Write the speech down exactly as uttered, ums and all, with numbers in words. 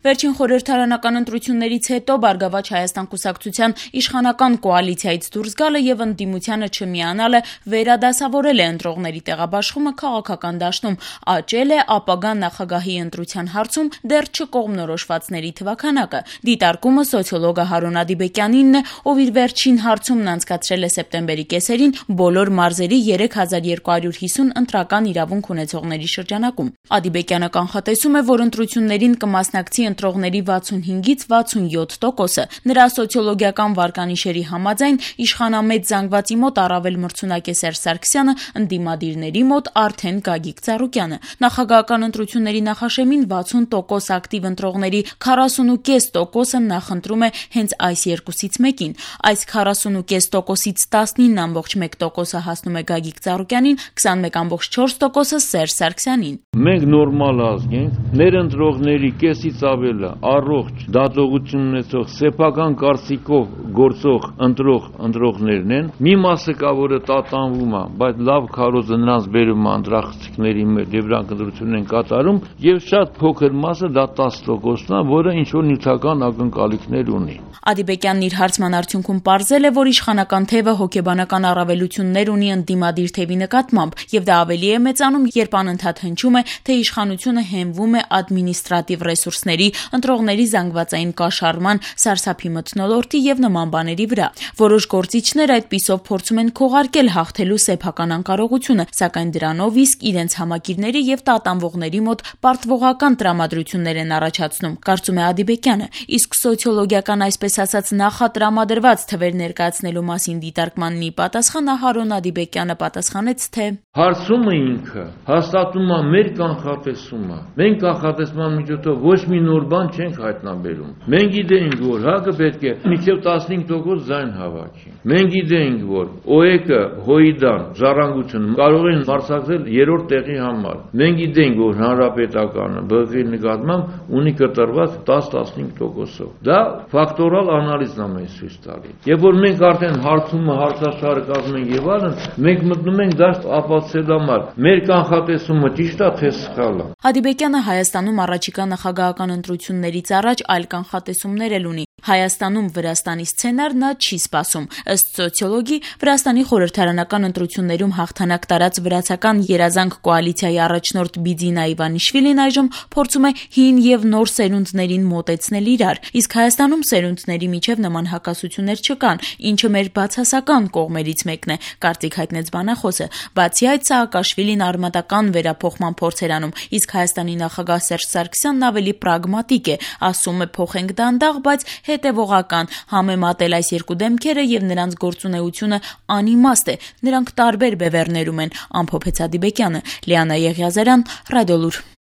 Վերջին խորհրդարանական ընտրություններից հետո «Բարգավաճ Հայաստան» կուսակցության իշխանական կոալիցիայից դուրս գալը եւ ընդդիմությանը չմիանալը վերադասավորել է ընտրողների տեղաբաշխումը քաղաքական դաշտում, աճել է ապագա նախագահի ընտրության հարցում դեռ չկողմնորոշվածների թվաքանակը։ Դիտարկումը սոցիոլոգ Հարուն Ադիբեկյանինն է, ով իր վերջին հարցումն անցկացրել է սեպտեմբերի կեսերին բոլոր մարզերի երեք հազար երկու հարյուր հիսուն ընտրական իրավունք ունեցողների շրջանակում։ Ադիբեկյանը կանխատեսում է, որ ընտրություններին կմասնակցի ընտրողների վաթսունհինգից վաթսունյոթ տոկոսը։ Նրա սոցիոլոգիական վարկանիշերի համաձայն իշխանամետ զանգվածի մոտ առավել մրցունակ է Սերժ Սարգսյանը, ընդդիմադիրների մոտ արդեն Գագիկ Ծառուկյանը։ Նախագահական ընտրությունների նախաշեմին վաթսուն տոկոս ակտիվ ընտրողների քառասունուկես տոկոսը նախընտրում է հենց այս երկուսից մեկին։ Այս քառասունուկես տոկոսից տասնինը ամբողջ մեկ տոկոսը հասնում է Գագիկ Ծառուկյանին, քսանմեկ ամբողջ չորս տոկոսը Սերժ Սարգսյանին։ Մենք նորմալ ազգ ենք, մեր ընտրողների կեսից ավելը առողջ դատողություն ունեցող սեփական կարծիքով գործող ընտրող ընտրողներն են։ Մի մասը կա, որը տատանվում է, բայց լավ քարոզը նրանց բերում է ընտրախցիկների մեջ եւ նրանք ընտրություն են կատարում, եւ շատ փոքր մասը դա տասը տոկոսն է, որը ինչ որ նյութական ակնկալիքներ ունի։ Ադիբեկյանն իր հարցման արդյունքում պարզել է, որ իշխանական թևը հոգեբանական առավելություններ ունի ընդդիմադիր թևի նկատմամբ, եւ դա ավելի է մեծանում, երբ անընդհատ հնչում է, թե իշխանությունը հենվում է ադմինիստրատիվ ռեսուրսների, ընտրողների զանգվածային կաշառման, սարսափի մթնոլորտի եւ նման բաների վրա։ Որոշ գործիչներ այդպիսով փորձում են քողարկել հաղթելու սեփական անկարողությունը, սակայն դրանով իսկ իրենց համակիրների եւ տատանվողների մոտ պարտվողական տրամադրություններ են առաջացնում, կարծում է Ադիբեկյանը։ Իսկ սոցիոլոգիական, այսպես ասած, նախատրամադրված թվեր ներկայացնելու մասին դիտարկման մի պատասխան Հարուն Ադիբեկյանը պատասխանեց, թե հարցումը ինքը հաստատում է մեր կանխատեսումը։ Մենք կանխատեսման միջոցով ոչ մի նոր բան չենք հայտնաբերում։ Մենք գիտենք, որ ՀԱԿ-ը պետք է մինչև տասնհինգ տոկոս ձայն հավաքի։ Մենք գիտենք, որ ՕԵԿ-ը, ՀՅԴ-ն, Ժառանգությունը կարող են մրցակցել երրորդ տեղի համար։ Մենք գիտենք, որ Հանրապետականը ԲՂ-ի նկատմամբ ունի կտրված տասը-տասնհինգ տոկոսով։ Դա ֆակտորալ անալիզն է մեզ ցույց տալիս։ Երբ որ մենք արդեն հարցումը հարցաշարը կազմում ենք եւ այլն, մենք մտնում ենք դա ապացուցելու համար։ Մեր կանխատեսումը ճիշտ է, թե սխալ է։ Ադիբեկյանը Հայաստանում առաջիկա նախագահական ընտրություններից առաջ այլ կանխատեսումներ էլ ունի։ Հայաստանում Վրաստանի սցենար նա չի սպասում։ Ըստ սոցիոլոգի, Վրաստանի խորհրդարանական ընտրություններում հաղթանակ տարած վրացական երազանք կոալիցիայի առաջնորդ Բիձինա Իվանիշվիլին այժմ փորձում է հին եւ նոր սերունդներին մոտեցնել իրար, իսկ Հայաստանում սերունդների միջև նման հակասություններ չկան, ինչը մեր բացասական կողմերից մեկն է, կարծիք հայտնեց բանախոսը։ Բացի այդ, Սաակաշվիլին արմատական վերափոխման փորձ էր անում, իսկ Հայաստանի նախագահ Սերժ Սարգսյանն ավելի պրագմատիկ է, ասում է փոխենք դանդաղ, բայց հետևողական, համեմատել այս երկու դեմքերը եւ նրանց գործունեությունը անիմաստ է, նրանք տարբեր բևեռներում են, ամփոփեց Ադիբեկյանը։ Լիանա Եղիազարյան, Ռադիոլուր։